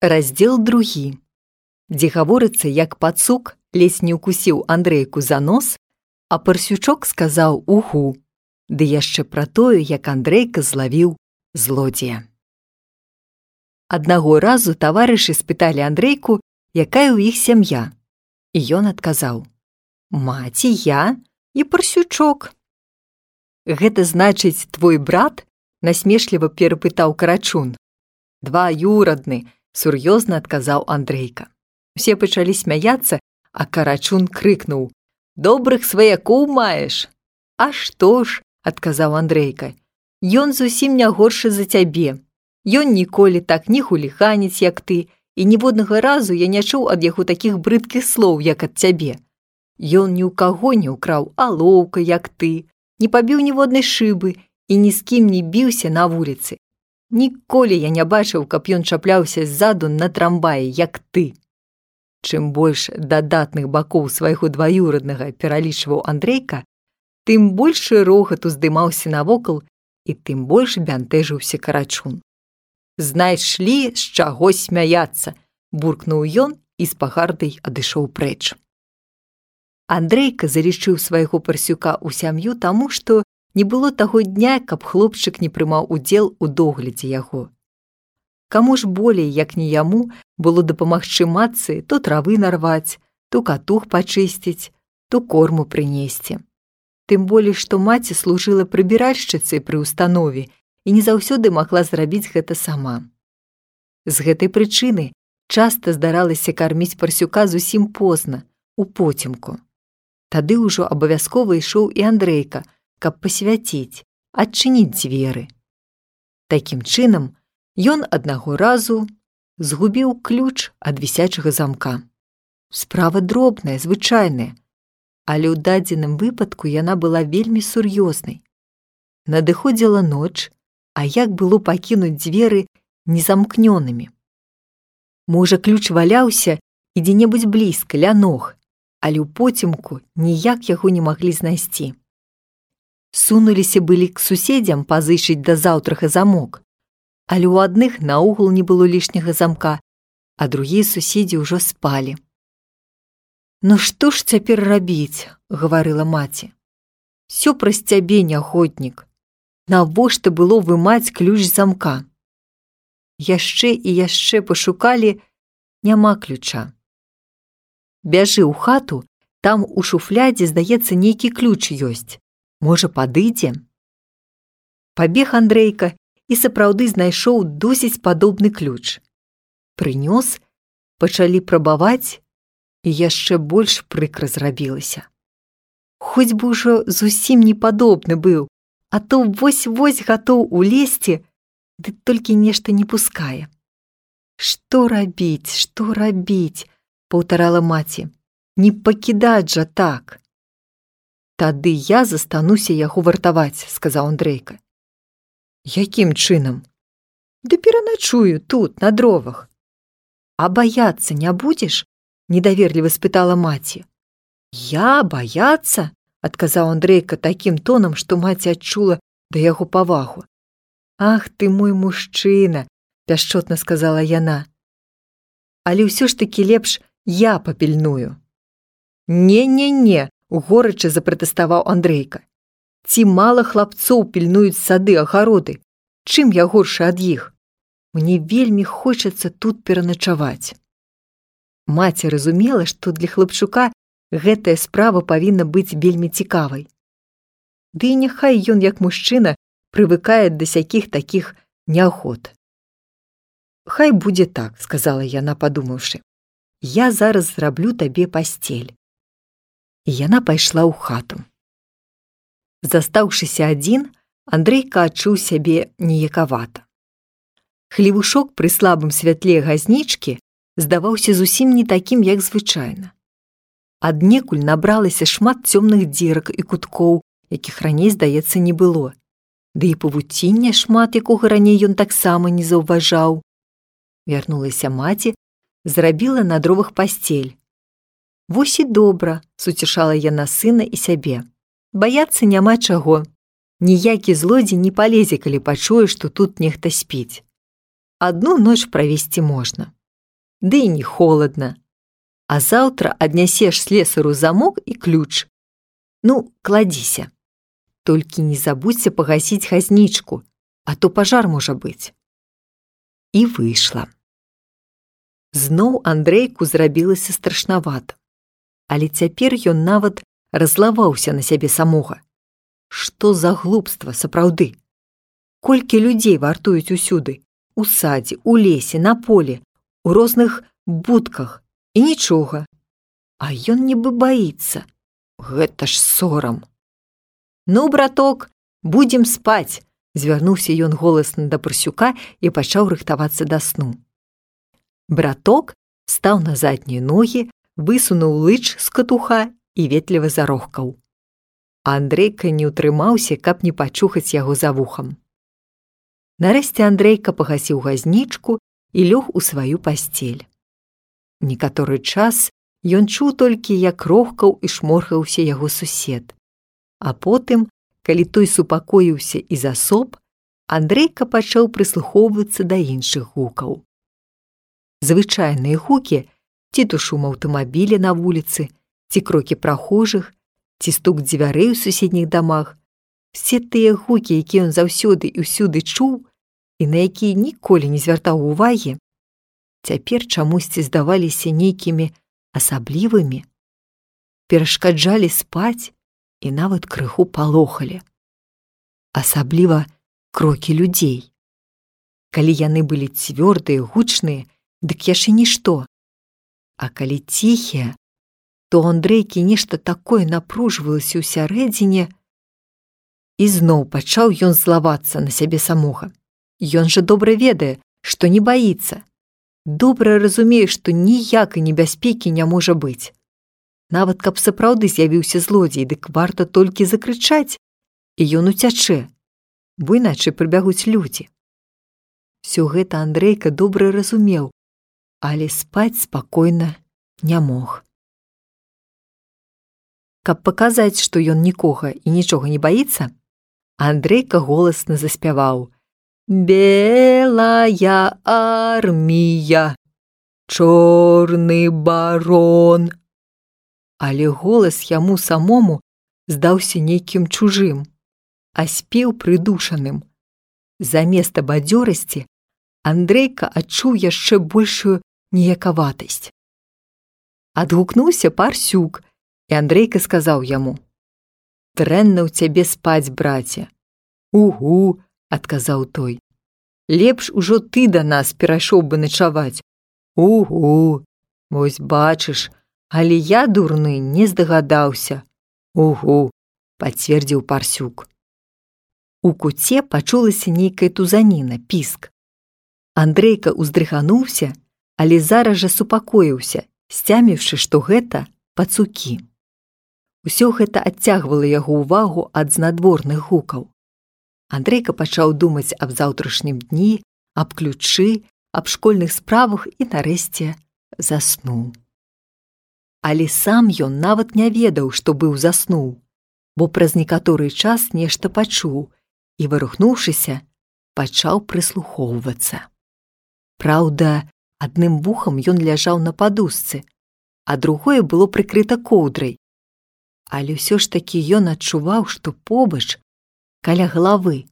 Раздзел 2, дзе гаворыцца, як пацук ледзь не ўкусіў Андрейку за нос, а Парсючок сказаў «Угу», ды яшчэ пра тое, як Андрейка злавіў злодзея. Аднаго разу таварышы спыталі Андрейку, якая ў іх сям'я, і ён адказаў «Маці, я і Парсючок». «Гэта значыць, твой брат?» – насмешліва перапытаў Карачун. «Дваюрадны», – сур'ёзна адказаў Андрейка. Усе пачалі смяяцца, а Карачун крыкнуў «Добрых сваякоў маеш!» «А што ж?» – адказаў Андрейка. «Ён зусім не горшы за цябе. Ён ніколі так не хуліганіць, як ты, і ніводнага разу я не чуў ад яго такіх брыдкіх слоў, як ад цябе. Ён ні ў каго не ўкраў алоўка, як ты, не пабіў ніводнай шыбы і ні з кім не біўся на вуліцы. Ніколі я не бачыў, каб ён чапляўся ззаду на трамваі, як ты». Чым больш дадатных бакоў свайго дваюраднага пералічваў Андрейка, тым большы рогат уздымаўся навокал і тым больш бянтэжыўся Карачун. «Знайшлі, з чаго смяяцца!» – буркнуў ён і з пагардай адышоў прэч. Андрейка залічыў свайго Парсюка ў сям'ю таму, што не было таго дня, каб хлопчык не прымаў удзел у доглядзе яго. Каму ж болей, як не яму, было дапамагчы матцы то травы нарваць, то катух пачысціць, то корму прынесці. Тым болей, што маці служыла прыбіральшчыцай пры ўстанове і не заўсёды магла зрабіць гэта сама. З гэтай прычыны часта здаралася карміць Парсюка зусім позна, у потемку. Тады ўжо абавязкова ішоў і Андрейка, каб пасвяціць, адчыніць дзверы. Такім чынам, ён аднаго разу згубіў ключ ад вісячага замка. Справа дробная, звычайная, але ў дадзеным выпадку яна была вельмі сур'ёзнай. Надыходзіла ноч, а як было пакінуць дзверы незамкнёнымі? Можа, ключ валяўся і дзе-небудзь блізка, ля ног, але ў потемку ніяк яго не маглі знайсці. Сунуліся былі к суседзям пазычыць да заўтрага замок, але ў адных наогул не было лішняга замка, а другія суседзі ўжо спалі. «Ну што ж цяпер рабіць?» – гаварыла маці. «Сё праз цябе, нягоднік. Навошта было вымаць ключ замка?» Яшчэ і яшчэ пашукалі, няма ключа. «Бяжы ў хату, там у шуфлядзе, здаецца, нейкі ключ ёсць. Можа, падыдзе?» Пабег Андрейка і сапраўды знайшоў досыць падобны ключ. Прынёс, пачалі прабаваць, і яшчэ больш прыкра зрабілася. Хоць бы ўжо зусім не падобны быў, а то вось-вось гатоў улезці, ды толькі нешта не пускае. «Што рабіць, паўтарала маці. «Не пакідаць жа так!» «Тады я застануся яго вартаваць», – сказаў Андрейка. «Якім чынам?» «Ды пераначую тут, на дровах». «А баяцца не будзеш?» – недаверліва спытала маці. «Я баяцца?» – адказаў Андрейка такім тонам, што маці адчула да яго павагу. «Ах ты мой мужчына!» – пяшчотна сказала яна. «Але ўсё ж такі лепш я папільную». «Не-не-не!» – горача запратэставаў Андрейка. «Ці мала хлапцоў пільнуюць сады, агароды? Чым я горшы ад іх? Мне вельмі хочацца тут пераначаваць». Маці разумела, што для хлапчука гэтая справа павінна быць вельмі цікавай. Ды і няхай ён, як мужчына, прывыкае да сякіх такіх неахвот. «Хай будзе так», – сказала яна, падумаўшы. «Я зараз зраблю табе пасцель». І яна пайшла ў хату. Застаўшыся адзін, Андрейка адчуў сябе неякавата. Хлевушок пры слабым святле газнічкі здаваўся зусім не такім, як звычайна. Аднекуль набралася шмат цёмных дзерак і куткоў, якіх раней, здаецца, не было. Ды і павуціння шмат, якога раней ён таксама не заўважаў. Вярнулася маці, зрабіла на дровах пасцель. «Вось і добра», – суцешала яна сына і сябе. «Баяцца няма чаго. Ніякі злодзей не палезе, калі пачуе, што тут нехта спіць. Адну ноч правесці можна». ды і не холадна. А заўтра аднясеш слесару замок і ключ. Ну, кладзіся. Толькі не забудзься пагасіць газнічку, а то пажар можа быць. І выйшла. Зноў Андрейку зрабілася страшнавата. Але цяпер ён нават разлаваўся на сябе самога. Што за глупства, сапраўды? Колькі людзей вартуюць усюды? У садзе, у лесе, на поле, у розных будках. І нічога. А ён нібы баіцца. Гэта ж сорам. Ну, браток, будзем спаць, звярнуўся ён голасна да Парсюка і пачаў рыхтавацца да сну. Браток стаў на заднія ногі, высунуў лыч з катуха і ветліва зарохкаў. Андрейка не ўтрымаўся, каб не пачухаць яго за вухам. Нарэшце Андрейка пагасіў газнічку і лёг у сваю пасцель. Некаторы час ён чуў толькі, як рохкаў і шморгаўся яго сусед. А потым, калі той супакоіўся і засоп, Андрейка пачаў прыслухоўвацца да іншых гукаў. Звычайныя гукі, ці то шум аўтамабіля на вуліцы, ці крокі прахожых, ці стук дзвярэй у суседніх дамах, все тыя гукі, якія ён заўсёды і ўсюды чуў і на якія ніколі не звяртаў увагі, цяпер чамусьці здаваліся нейкімі асаблівымі, перашкаджалі спаць і нават крыху палохалі. Асабліва крокі людзей. Калі яны былі цвёрдыя, гучныя, дык яшчэ нішто. А калі ціхія, то Андрейкі нешта такое напружвалася ўсярэдзіне, і зноў пачаў ён злавацца на сябе самога. Ён жа добра ведае, што не баіцца. Добра разумее, што ніякай небяспекі не можа быць. Нават каб сапраўды з'явіўся злодзей, дык варта толькі закрычаць, і ён уцячэ, бо іначай прыбягуць людзі. Всё гэта Андрейка добра разумеў, але спаць спакойна не мог. Каб паказаць, што ён нікога і нічога не баіцца, Андрейка голасна заспяваў: «Белая армія, чорны барон». Але голас яму самому здаўся нейкім чужым, а спеў прыдушаным. Заместа бадзёрасці Андрейка адчуў яшчэ большую ніякаватасць. Адгукнуўся Парсюк, і Андрейка сказаў яму: «Дрэнна ў цябе спаць, браце». «Угу», – адказаў той. «Лепш ужо ты да нас перайшоў бы начаваць». «Угу, вось бачыш, але я, дурны, не здагадаўся». «Угу», – пацвердзіў Парсюк. У куце пачулася нейкая тузаніна, піск. Андрейка ўздрыгануўся, але зараз жа супакоіўся, сцяміўшы, што гэта пацукі. Усё гэта адцягвала яго ўвагу ад знадворных гукаў. Андрейка пачаў думаць аб заўтрашнім дні, аб ключы, аб школьных справах і нарэшце заснуў. Але сам ён нават не ведаў, што быў заснуў, бо праз некаторы час нешта пачуў і, варухнуўшыся, пачаў прыслухоўвацца. Праўда, адным вухам ён ляжаў на падушцы, а другое было прыкрыта коўдрай. Але ўсё ж такі ён адчуваў, што побач, каля галавы,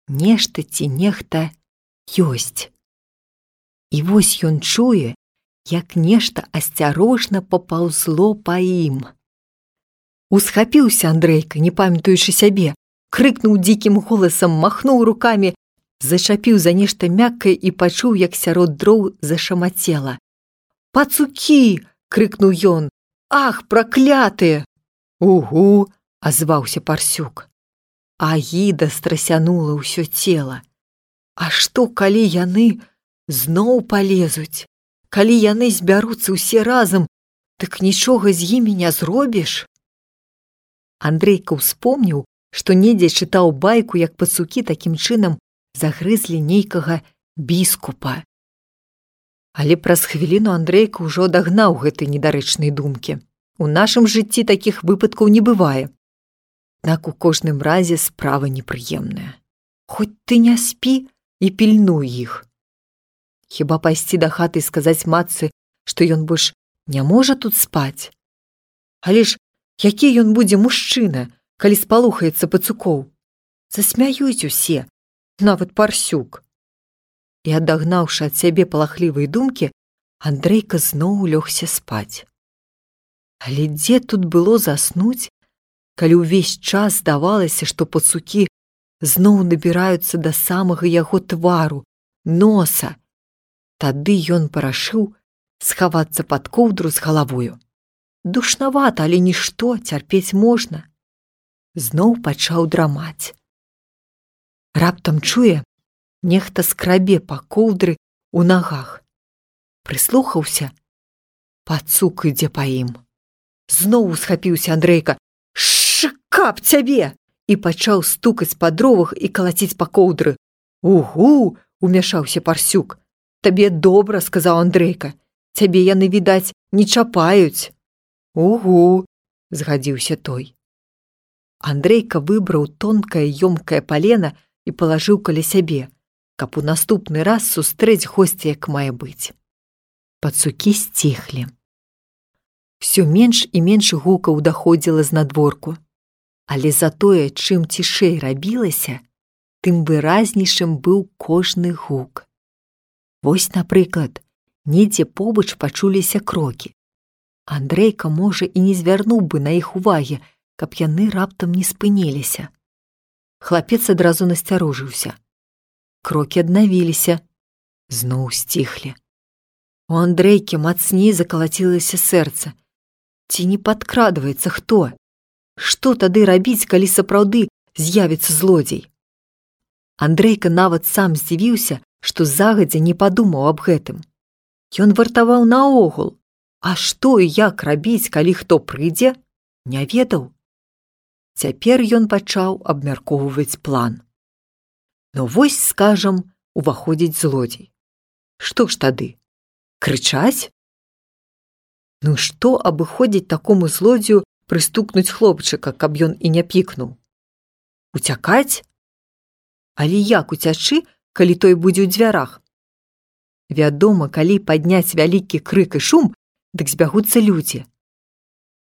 нешта ці нехта ёсць. І вось ён чуе, як нешта асцярожна папаўзло па ім. Усхапіўся Андрейка, не памятаючы сябе, крыкнуў дзікім голасам, махнуў рукамі, зачапіў за нешта мяккае і пачуў, як сярод дроў зашамацела. «Пацукі!» – крыкнуў ён. «Ах, праклятыя!» «Угу!» – азваўся Парсюк. Агіда страсянула ўсё цела. А што, калі яны зноў палезуць? Калі яны збяруцца ўсе разам, дык нічога з імі не зробіш? Андрейка ўспомніў, што недзе чытаў байку, як пацукі такім чынам загрызлі нейкага біскупа. Але праз хвіліну Андрейка ўжо адагнаў гэтай недарэчнай думкі. У нашым жыцці такіх выпадкаў не бывае. Аднак у кожным разе справа непрыемная. Хоць ты не спі і пільнуй іх. Хіба пайсці да хаты і сказаць матцы, што ён больш не можа тут спаць? Але ж які ён будзе мужчына, калі спалохаецца пацукоў? Засмяюць усе, нават Парсюк. І адагнаўшы ад сябе палахлівыя думкі, Андрейка зноў лёгся спаць. Але дзе тут было заснуць, калі ўвесь час здавалася, што пацукі зноў набіраюцца да самага яго твару, носа. Тады ён парашыў схавацца пад коўдру з галавою. Душнавата, але нішто, цярпець можна. Зноў пачаў драмаць. Раптам чуе, нехта скрабе па коўдры ў нагах. Прыслухаўся, пацук ідзе па ім. Зноў усхапіўся Андрейка. «Каб цябе!» і пачаў стукаць па дровах і калаціць па коўдры. «Угу!» – умяшаўся Парсюк. «Табе добра», – сказаў Андрейка. «Цябе яны, відаць, не чапаюць». «Угу!» – згадзіўся той. Андрейка выбраў тонкае ёмкае палена і палажыў каля сябе, каб у наступны раз сустрэць госця як мае быць. Пацукі сціхлі. Всё менш і менш гукаў даходзіла знадворку. Але затое, чым цішэй рабілася, тым выразнейшым быў кожны гук. Вось, напрыклад, недзе побач пачуліся крокі. Андрейка, можа, і не звярнуў бы на іх увагі, каб яны раптам не спыніліся. Хлапец адразу насцярожыўся. Крокі аднавіліся, зноў сціхлі. У Андрейкі мацней закалацілася сэрца. Ці не падкрадваецца хто? Што тады рабіць, калі сапраўды з'явіцца злодзей? Андрейка нават сам здзівіўся, што загадзя не падумаў аб гэтым. Ён вартаваў наогул, а што і як рабіць, калі хто прыйдзе, не ведаў. Цяпер ён пачаў абмяркоўваць план. Ну вось, скажам, уваходзіць злодзей. Што ж тады? Крычаць? Ну што абыходзіць такому злодзею прыстукнуць хлопчыка, каб ён і не пікнуў? Уцякаць? Але як уцячы, калі той будзе ў дзвярах? Вядома, калі падняць вялікі крык і шум, дык збягуцца людзі.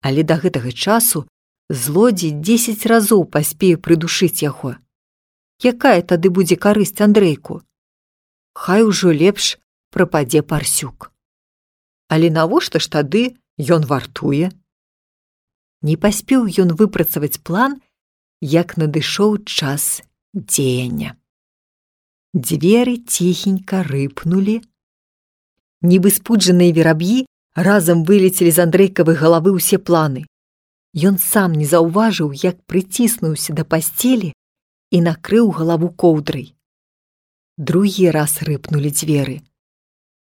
Але да гэтага часу злодзей 10 разоў паспее прыдушыць яго. Якая тады будзе карысць Андрейку? Хай ужо лепш прападзе Парсюк. Але навошта ж тады ён вартуе? Не паспеў ён выпрацаваць план, як надышоў час дзеяння. Дзверы ціхенька рыпнулі. Нібы спуджаныя вераб'і разам вылецелі з Андрейкавай галавы ўсе планы. Ён сам не заўважыў, як прыціснуўся да пасцелі і накрыў галаву коўдрай. Другі раз рыпнулі дзверы.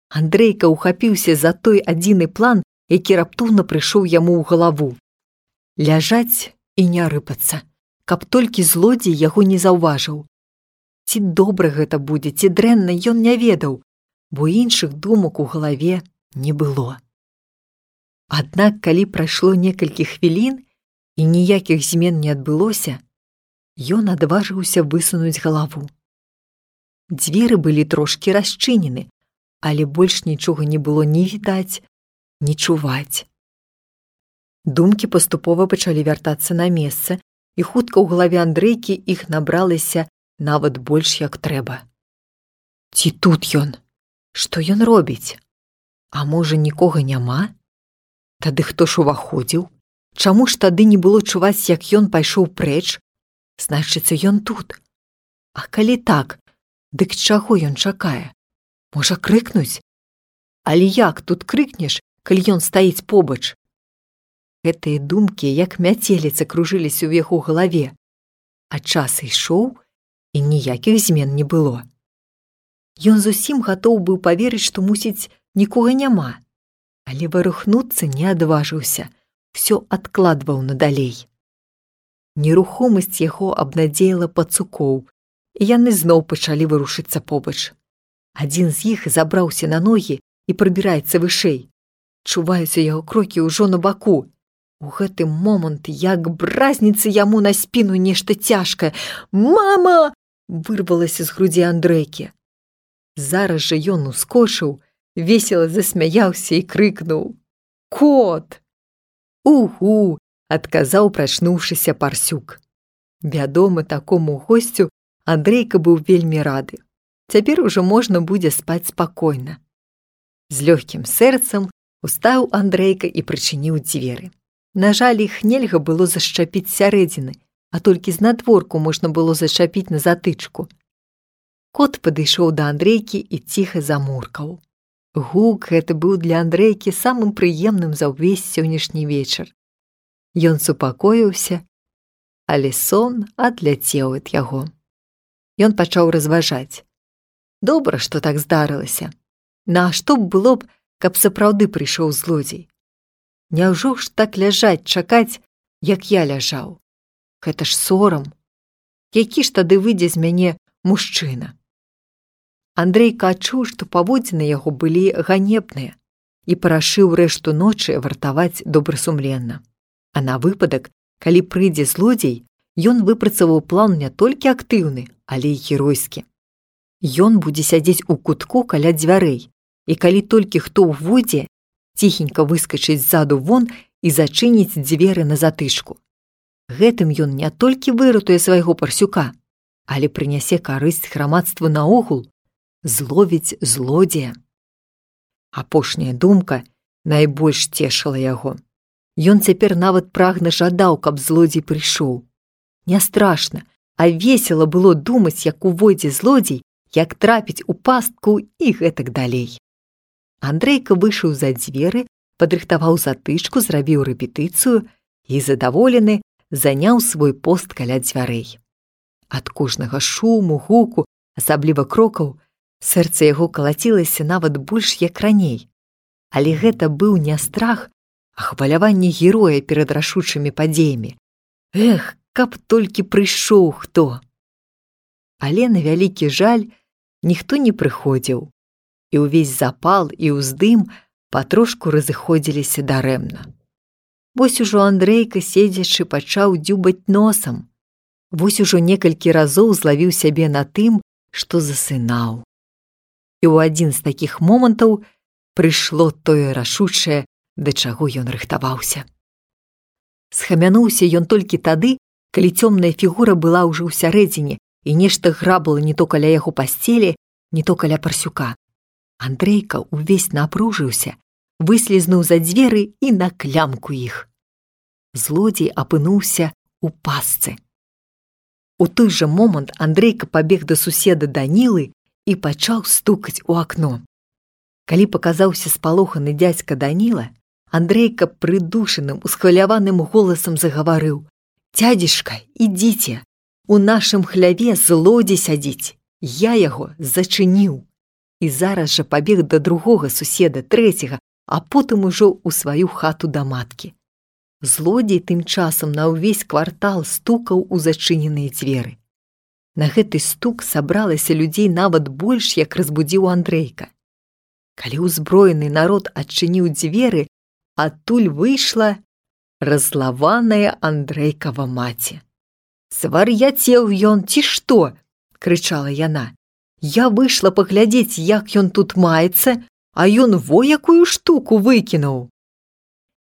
Андрейка ухапіўся за той адзіны план, які раптоўна прыйшоў яму ў галаву. Ляжаць і не рыпацца, каб толькі злодзей яго не заўважыў. Ці добра гэта будзе, ці дрэнна, ён не ведаў, бо іншых думак у галаве не было. Аднак, калі прайшло некалькі хвілін і ніякіх змен не адбылося, ён адважыўся высунуць галаву. Дзверы былі трошкі расчынены, але больш нічога не было ні відаць, ні чуваць. Думкі паступова пачалі вяртацца на месца, і хутка ў галаве Андрейкі іх набралася нават больш як трэба. Ці тут ён? Што ён робіць? А можа, нікога няма? Тады хто ж уваходзіў? Чаму ж тады не было чуваць, як ён пайшоў прэч? Значыцца, ён тут. А калі так, дык чаго ён чакае? Можа, крыкнуць? Але як тут крыкнеш, калі ён стаіць побач? Гэтыя думкі, як мяцеліца, кружыліся ў яго галаве. А час ішоў, і ніякіх змен не было. Ён зусім гатоў быў паверыць, што, мусіць, нікога няма. Але варухнуцца не адважыўся, усё адкладваў надалей. Нерухомасць яго абнадзеяла пацукоў, і яны зноў пачалі варушыцца побач. Адзін з іх забраўся на ногі і прабіраецца вышэй. Чуваюцца яго крокі ўжо на баку. У гэты момант, як бразніцца яму на спіну нешта цяжкае. «Мама!» – вырвалася з грудзі Андрейкі. Зараз жа ён ускочыў, весела засмяяўся і крыкнуў: «Кот!» «Угу!» – адказаў прачнуўшыся Парсюк. Вядома, такому госцю Андрейка быў вельмі рады. Цяпер ужо можна будзе спаць спакойна. З лёгкім сэрцам устаў Андрейка і прычыніў дзверы. На жаль, іх нельга было зашчапіць сярэдзіны, а толькі знадворку можна было зачапіць на затычку. Кот падышоў да Андрейкі і ціха замуркаў. Гук гэты быў для Андрейкі самым прыемным за ўвесь сённяшні вечар. Ён супакоіўся, але сон адляцеў ад яго. Ён пачаў разважаць. Добра, што так здарылася. Нашто б было б, каб сапраўды прыйшоў злодзей? Няўжо ж так ляжаць, чакаць, як я ляжаў? Гэта ж сорам. Які ж тады выйдзе з мяне мужчына? Андрейка адчуў, што паводзіны яго былі ганебныя і парашыў рэшту ночы вартаваць добрасумленна. А на выпадак, калі прыйдзе злодзей, ён выпрацаваў план не толькі актыўны, але і геройскі. Ён будзе сядзець у кутку каля дзвярэй, і калі толькі хто ўвойдзе, ціхенька выскачыць ззаду вон і зачыніць дзверы на затычку. Гэтым ён не толькі выратуе свайго Парсюка, але прынясе карысць грамадству наогул, зловіць злодзея. Апошняя думка найбольш цешыла яго. Ён цяпер нават прагна жадаў, каб злодзей прыйшоў. Не страшна, а весела было думаць, як увойдзе злодзей, як трапіць у пастку і гэтак далей. Андрейка выйшаў за дзверы, падрыхтаваў затычку, зрабіў рэпетыцыю і, задаволены, заняў свой пост каля дзвярэй. Ад кожнага шуму, гуку, асабліва крокаў, сэрца яго калацілася нават больш як раней. Але гэта быў не страх, а хваляванне героя перад рашучымі падзеямі. Эх, каб толькі прыйшоў хто! Але на вялікі жаль ніхто не прыходзіў, і ўвесь запал і ўздым патрошку разыходзіліся дарэмна. Вось ужо Андрейка, седзячы, пачаў дзюбаць носам. Вось ужо некалькі разоў злавіў сябе на тым, што засынаў. І ў адзін з такіх момантаў прыйшло тое рашучае, да чаго ён рыхтаваўся. Схамянуўся ён толькі тады, калі цёмная фігура была ўжо ўсярэдзіне і нешта грабала не то каля яго пасцелі, не то каля Парсюка. Андрейка ўвесь напружыўся, выслізнуў за дзверы і на клямку іх. Злодзей апынуўся у пастцы. У той жа момант Андрейка пабег да суседа Данілы і пачаў стукаць у акно. Калі паказаўся спалоханы дзядзька Даніла, Андрейка прыдушаным, усхваляваным голасам загаварыў: «Дзядзечка, ідзіце! У нашым хляве злодзей сядзіць! Я яго зачыніў!» І зараз жа пабег да другога суседа, трэцяга, а потым ужо ў сваю хату да маткі. Злодзей тым часам на ўвесь квартал стукаў у зачыненыя дзверы. На гэты стук сабралася людзей нават больш, як разбудзіў Андрейка. Калі ўзброены народ адчыніў дзверы, адтуль выйшла раззлаваная Андрейкава маці. «Свар'яцеў ён, ці што?» – крычала яна. «Я выйшла паглядзець, як ён тут маецца, а ён во якую штуку выкінуў!»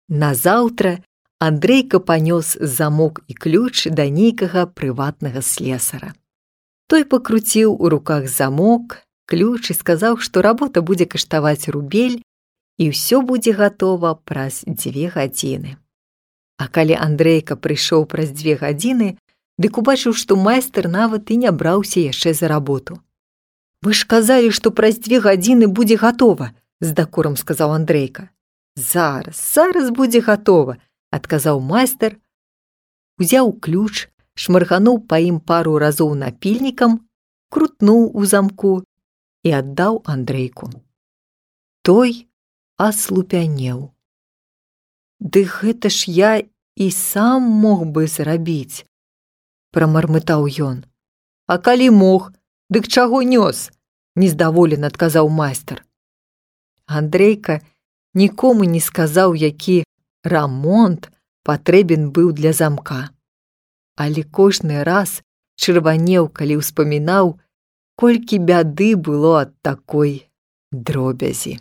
Назаўтра Андрейка панёс замок і ключ да нейкага прыватнага слесара. Той пакруціў у руках замок, ключ і сказаў, што работа будзе каштаваць рубель і ўсё будзе гатова праз 2 гадзіны. А калі Андрейка прыйшоў праз 2 гадзіны, дык убачыў, што майстар нават і не браўся яшчэ за работу. «Вы ж казалі, што праз 2 гадзіны будзе гатова», – з дакорам сказаў Андрейка. Зараз будзе гатова», – адказаў майстар, узяў ключ, шмаргануў па ім пару разоў напільнікам, крутнуў у замку і аддаў Андрейку. Той аслупянеў. «Ды гэта ж я і сам мог бы зрабіць», – прамармытаў ён. «А калі мог, дык чаго нёс?» – нездаволена адказаў майстар. Андрейка нікому не сказаў, які рамонт патрэбен быў для замка. Але кожны раз чырванеў, калі ўспамінаў, колькі бяды было ад такой дробязі.